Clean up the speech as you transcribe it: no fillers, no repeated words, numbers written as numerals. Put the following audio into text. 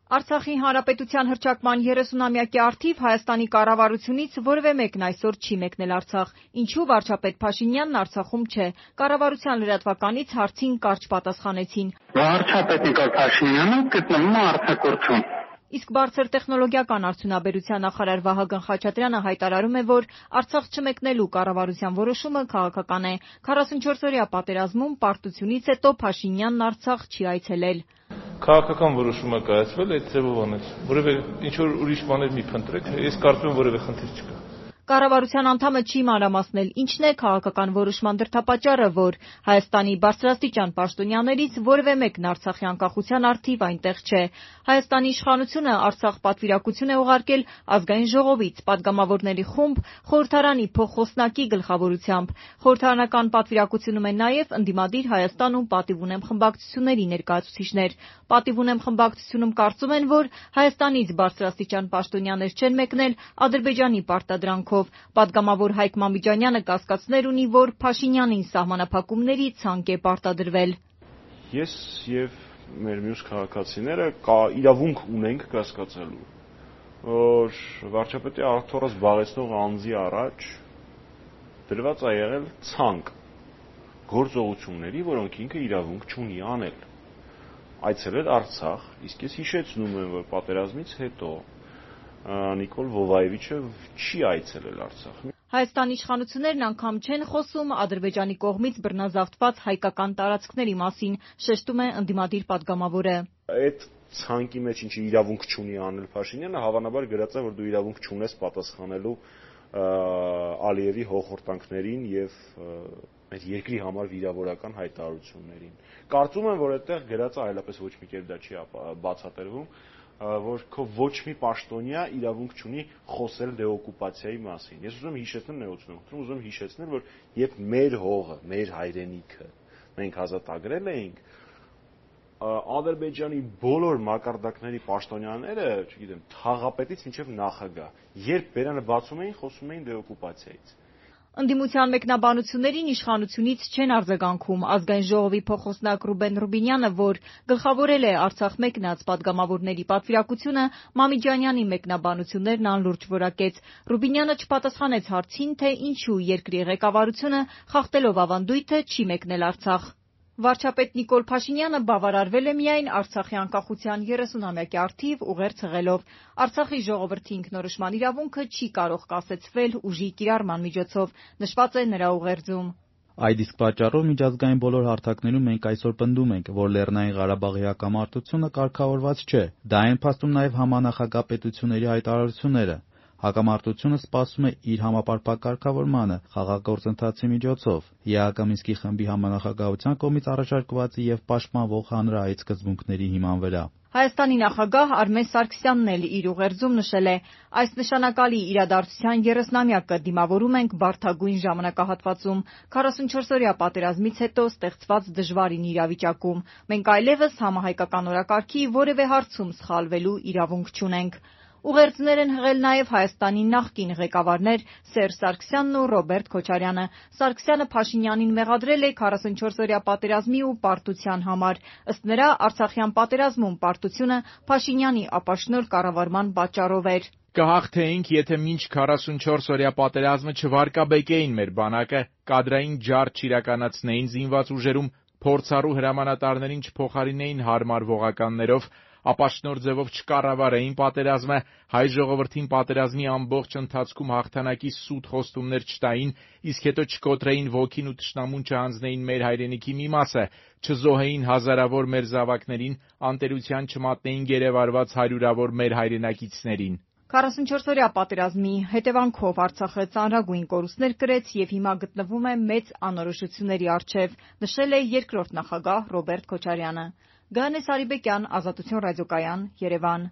Արցախի հանրապետության հռչակման 30-ամյակի առթիվ Հայաստանի կառավարությունից որևէ մեկն այսօր չի մեկնել Արցախ։ Ինչու վարչապետ Փաշինյանն Արցախում չէ։ Կառավարության լրատվականից հարցին կարճ պատասխանեցին. Վարչապետ Նիկոլ Փաշինյանը գտնվում է արձակուրդում։ Իսկ բարձր տեխնոլոգիական արդյունաբերության նախարար Վահագն Խաչատրյանը հայտարարում է, որ Արցախ չմեկնելու կառավարության որոշումը քաղաքական է։ 44-օրյա պատերազմում պարտությունից հետո Փաշինյանն Արցախ չի այցելել։ Քաղաքական որոշումը կայացվել այդ ձևով անեց։ Որևէ ինչ-որ ուրիշ բաներ մի փնտրեք, ես կարծում եմ որևէ խնդիր չկա։ Կառավարության անդամը չի մանրամասնել ինչն է քաղաքական որոշման դրդապատճառը, որ Հայաստանի բարձրաստիճան պաշտոնյաներից որևէ մեկն Արցախի անկախության առթիվ այնտեղ չէ։ Հայաստանի իշխանությունը Արցախ պատվիրակություն է ուղարկել ազգային ժողովից պատգամավորների խումբ խորհրդարանի փոխխոսնակի գլխավորությամբ։ Խորհրդարանական պատվիրակությունում են նաև ընդդիմադիր Հայաստան ու Պատիվ ունեմ խմբակցությունների ներկայացուցիչներ։ Պատիվ ունեմ խմբակցությունում կարծում են, որ Հայաստանից բարձրաստիճան պաշտոնյաներ չեն մեկնել Ադրբեջանի պարտադրանքով։ Պատգամավոր Հայկ Մամիջանյանը կասկածներ ունի, որ Փաշինյանին սահմանափակումների ցանկ է պարտադրվել։ Ես եւ մեր մյուս քաղաքացիները իրավունք ունենք կասկածելու, որ վարչապետի աթոռը զբաղեցնող անձի առաջ դրված է եղել ցանկ գործողությունների, որոնք ինքը իրավունք չունի անել։ Այցելել Արցախ, իսկ ես հիշեցնում եմ, որ պատերազմից հետո Նիկոլ Վովայևիչը չի այցելել Արցախ։ Հայաստանի իշխանություններն անգամ չեն խոսում Ադրբեջանի կողմից բռնազավթված հայկական տարածքների մասին, շեշտում է ընդդիմադիր պատգամավորը։ Այդ ցանկի մեջ ինչի իրավունք չունի անել Փաշինյանը, հավանաբար գրած է, որ դու իրավունք չունես պատասխանելու Ալիևի հոխորտանքներին եւ մեր երկրի համար վիրավորական հայտարարություններին։ Կարծում եմ, որ այդտեղ գրած է այլապես ոչ մի կերպ դա չի բացատրվում, որ քո ոչ մի պաշտոնյա իրավունք չունի խոսել դեօկուպացիայի մասին։ Ես ուզում եմ հիշեցնել նեղությունում, ուզում եմ հիշեցնել, որ երբ մեր հողը, մեր հայրենիքը մենք ազատագրել էինք, Ադրբեջանի բոլոր մակարդակների պաշտոնյաները, չգիտեմ, թաղապետից մինչև նախագահ, երբ բերանը բացում էին, խոսում էին դեօկուպացիայից։ Ընդդիմության մեկնաբանություններին իշխանությունից չեն արձագանքում։ Ազգային ժողովի փոխխոսնակ Ռուբեն Ռուբինյանը, որ գլխավորել է Արցախ մեկնած պատգամավորների պատվիրակությունը, Մամիջանյանի մեկնաբանություններն անլուրջ որակեց։ Ռուբինյանը չպատասխանեց հարցին, թե ինչու երկրի ղեկավարությունը խախտելով ավանդույթը չի մեկնել Արցախ։ Վարչապետ Նիկոլ Փաշինյանը բավարարվել է միայն Արցախի անկախության 30-ամյակի առթիվ ուղերձ հղելով։ Արցախի ժողովրդի ինքնորոշման իրավունքը չի կարող կասեցվել ուժի կիրառման միջոցով, նշված է նրա ուղերձում։ Այդ իսկ պատճառով միջազգային բոլոր հարթակներում մենք այսօր պնդում ենք, որ Լեռնային Ղարաբաղի հակամարտությունը կարգավորված չէ։ Դա են փաստում նաև համանախագահ պետությունների հայտարարությունները։ Հակամարտությունը սպասում է իր համապարփակ կարգավորմանը խաղաղ գործընթացի միջոցով, ԵԱՀԿ Մինսկի խմբի համանախագահության կողմից առաջարկված եւ պաշտպանվող հանրահայտ սկզբունքների հիման վրա։ Հայաստանի նախագահ Արմեն Սարգսյանն էլ իր ուղերձում նշել է. այս նշանակալի իրադարձության 30-ամյակը դիմավորում ենք բարդագույն ժամանակահատվածում, 44-օրյա պատերազմից հետո ստեղծված դժվարին իրավիճակում։ Մենք այլևս համահայկական օրակարգի որևէ հարցում սխալվելու իրավունք չունենք։ Ուղերձներ են հղել նաև Հայաստանի նախկին ղեկավարներ Սերժ Սարգսյանն ու Ռոբերտ Քոչարյանը։ Սարգսյանը Փաշինյանին մեղադրել է 44-օրյա պատերազմի ու պարտության համար։ Ըստ նրա, Արցախյան պատերազմում պարտությունը Փաշինյանի ապաշնորհ կառավարման պատճառով էր։ Կհաղթեինք, եթե մինչ 44-օրյա պատերազմը չվարկաբեկեին մեր բանակը, կադրային ջարդ չիրականացնեին զինված ուժերում, փորձառու հրամանատարներին չփոխարինեին հարմար ողականներով, ապաշնորհ ձևով չկառավարեին պատերազմը, հայ ժողովրդին պատերազմի ամբողջ ընթացքում հաղթանակի սուտ խոստումներ չտային, իսկ հետո չկոտրեին ոգին ու թշնամուն չհանձնեին մեր հայրենիքի մի մասը, չզոհեին հազարավոր մեր զավակներին, անտերության չմատնեին գերեվարված հարյուրավոր մեր հայրենակիցներին։ 44-օրյա պատերազմի հետևանքով Արցախը ծանրագույն կորուստներ կրեց եւ հիմա գտնվում է մեծ անորոշությունների առջեւ, նշել է երկրորդ նախագահ Ռոբերտ Քոչարյանը։ Գայանե Սարիբեկյան, Ազատություն ռադիոկայան, Երևան։